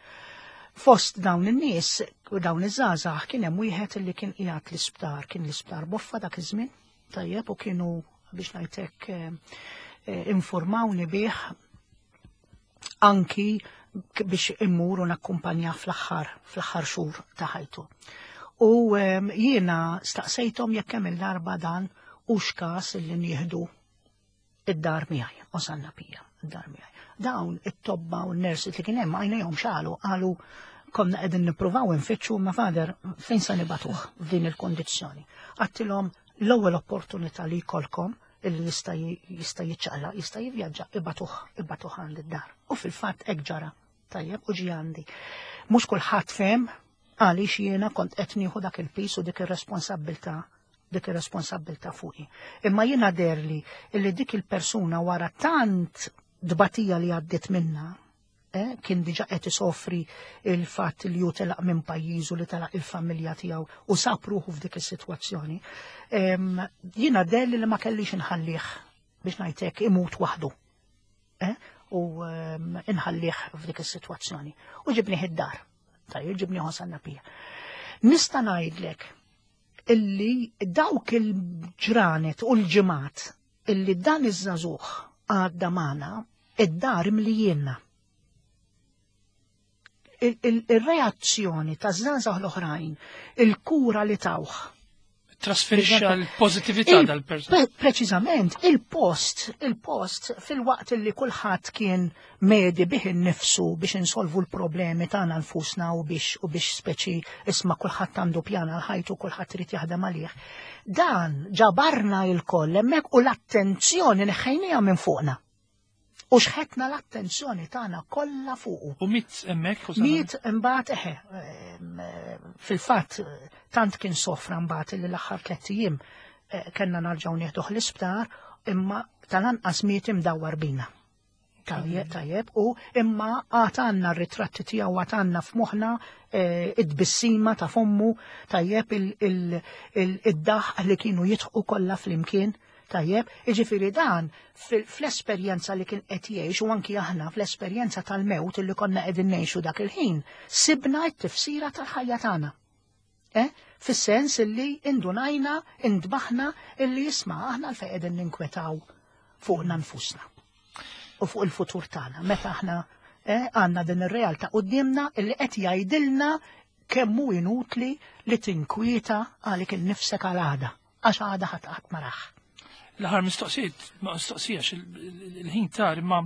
Fost dawn in-nies u dawn iż-żgħażagħ kien hemm wieħed li kien qiegħed l-isptar, kien l-isptar Boffa dak iż-żmien, tajjeb, u kienu biex ngħidlek informawni bih anki biex immur u nakkumpanja fl-aħħar fl-aħħar xhur ta' ħajtu. U jiena staqsejthom jekk hemm il-darba dan u x'każ li nieħdu id-dar miegħi, Osanna Pia, id-dar miegħi. Dawn it-tobba u n-nurses li kien hemm għajnejhom xalu, qalu konna qegħdin nippruvaw infittxu ma father fejn se nibatuh f'din il-kondizzjoni. Għattilhom l-ewwel opportunità li jkollkom illi jista' jista' jiċċaqlaq, jista' jivvjaġġa, ibatuh, ibatuh għand id-dar. U fil-fatt hekk ġara. Tajjeb, u ġie għandi. Mhux kulħadd fehem għaliex jiena kont qed nieħu dak il-pis u dik ir-responsabbiltà, dik ir-responsabbiltà fuqi. Imma jiena derli illi dik il-persuna wara tant dbatija li għaddiet minna, eh, kien diġà qed isofri il-fatt li hu telaq minn pajjiżu, li telaq il-familja tiegħu u sab ruħu f'dik is-sitwazzjoni. Jiena derli li ma kellix inħallih biex ngħidlek imut waħdu. Eh, u inħallih f'dik is-sitwazzjoni. U ġibnieh id-dar. Tajjeb, ġibnieh Osanna Pia. Nista' ngħidlek illi dawk il-ġranet u l-ġimgħat illi dan iż-żagħżugħ għadda magħna, id-dar imlijienna. Il-reazzjoni ta' żgħażagħ l-oħrajn, il-kura li tawh. Trasferixxa l-pożittività dal-persuna. Preċiżament, il-post, il-post fil-waqt li kulħadd kien medi bih innifsu biex insolvu l-problemi tagħna nfusna u biex u biex speċi isma' kulħadd għandu pjan għal ħajtu, kulħadd irid jaħdem għalih. Dan ġabarna il-koll hemmhekk u l-attenzjoni neħħejniha minn fuqna. U xħetna l-attenzjoni tagħna kollha fuqu. U miet hemmhekk? Miet imbagħad eħe, fil-fatt tant kien sofra mbagħad li l-aħħar tliet ijiem kellna narġgħu nieħduh l-isptar, imma tal-anqas miet imdawwar bina. Tajjeb, tajjeb, u imma għad għandna r-ritratti tiegħu, għad għandna f'moħħna id-bissima ta' fommu, tajjeb, id-daħq li kienu jidħqu kollha flimkien. Tajjeb, jiġifieri dan fl-esperjenza li kien qed jgħix u anki aħna fl-esperjenza tal-mewt li konna qegħdin ngħixu dak il-ħin, sibna t-tifsira tal-ħajja tagħna. Eh? Fis-sens illi indunajna, indbaħna illi jisma' aħna għalfejn qegħdin ninkwetaw fuqna nfusna u fuq il-futur tagħna. Meta aħna għandna din ir-realtà quddiemna illi qed jgħidilna kemm hu inutli li tinkwieta għalik innifsek għal għada, għax għada ħadd qatt ma raħ. L-aħħar mistoqsijiet, ma mistoqsija il-ħin tar, imma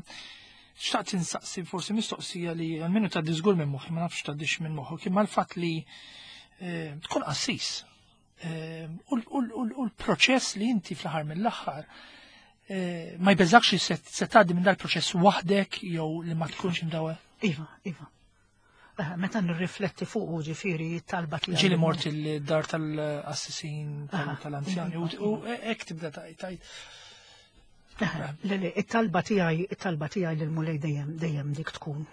xtaqt insaqsi forsi mistoqsija li għalmenu tgħaddi żgur minn moħħi, ma nafx tgħaddix minn moħħok, imma l-fatt li tkun qassis u l-proċess li inti fl-aħħar mill-aħħar ma jbeżakx li se tgħaddi minn dal-proċess waħdek jew li ma tkunx imdawwa. Iva, iva. Meta nirrifletti fuq ġifieri talba tiegħi. Ġieli mort il-dar tal-assisin tal-anzjani u hekk tibda tajt. Le, le, it-talba tiegħi, it-talba tiegħi lill-Mulej dejjem dejjem dik tkun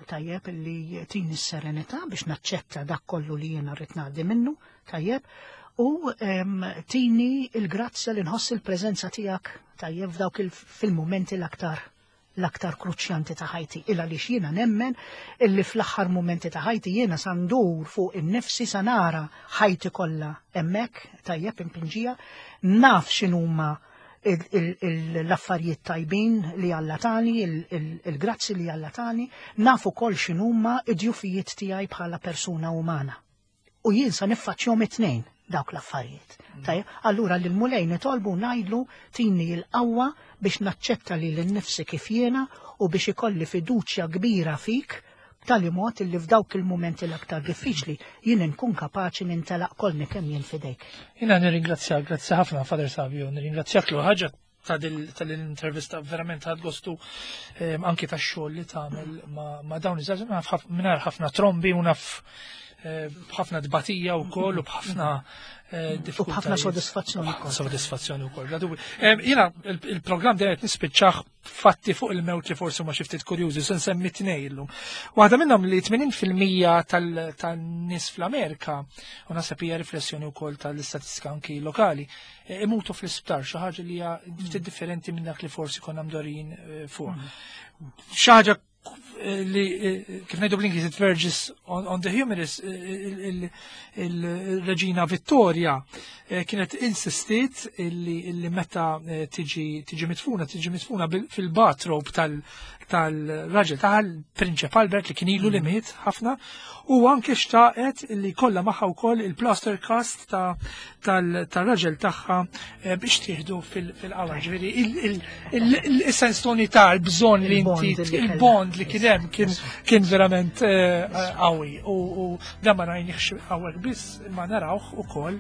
tajjeb li tini s-serenità biex naċċetta dak kollu li jiena rrid ngħaddi minnu, tajjeb, u tini il-grazzja li nħoss il-preżenza tiegħek tajjeb f'dawk fil-mumenti l-aktar l-aktar kruċjanti ta' ħajti, illa li jiena nemmen illi fl-aħħar mumenti ta' ħajti jiena sa ndur fuq in-nifsi, sa nara ħajti kollha hemmhekk tajjeb impinġija, naf x'inhuma l-affarijiet tajbin li Alla tani, il-grazzi li Alla tani, naf ukoll x'inhuma id-djufijiet tiegħi bħala persuna umana. U jien sa niffaċċjahom it-tnejn dawk l-affarijiet. Tajjeb, allura lil Mulej nitolbu ngħidlu tini l-qawwa biex naċċetta li l-nifsi kif jiena u biex ikolli fiduċja kbira fik b'tali mod li f'dawk il-mumenti l-aktar diffiċli jien nkun kapaċi nintelaq kolni kemm jien fidejk. Jiena nirringrazzjak, grazzi ħafna Father Savio, nirringrazzjak l ħaġa tal-intervista verament ħad gostu anki tax-xogħol li tagħmel ma' dawn iż-żgħażagħ mingħajr ħafna trombi u naf b'ħafna dbatija wkoll u b'ħafna diffikultajiet. U b'ħafna sodisfazzjoni wkoll. Sodisfazzjoni wkoll. Jiena il-programm dejjem qed nispiċċah fatti fuq il-mewt li forsi huma xi ftit kurjużi, se nsemmi tnejn illum. Waħda minnhom li tmenin fil-mija tan-nies fl-Amerika, u naħseb hija riflessjoni wkoll tal-istatistika anki lokali, imutu fl-isptar, xi ħaġa li hija ftit differenti minn dak li forsi konna mdorin fuq. Xi ħaġa li kif ngħidu bl-Ingliż it verges on, on the humorous, il-Reġina Vittoria kienet insistiet illi meta tiġi tiġi mitfuna tiġi mitfuna fil-bathrobe tal-raġel tal-Prinċep Albert li kien ilu li miet ħafna, u anke xtaqet li kollha magħha wkoll il-plaster cast tal-raġel tagħha biex tieħdu fil-qawar. Ġifieri il-sens ta' l-bżonn li inti il-bond li kien hemm kien verament qawwi, u dan ma rajniex hawnhekk biss, imma narawh ukoll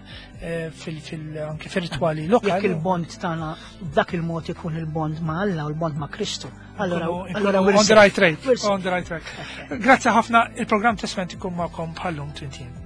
anke fir-ritwali lokali. Jekk il-bond tagħna b'dak il-mod ikun il-bond ma' Alla u l-bond ma' Kristu. Allora, allora on the right track, on the right track. Grazzi ħafna, il-programm Testment ikun magħkom bħallum trintin.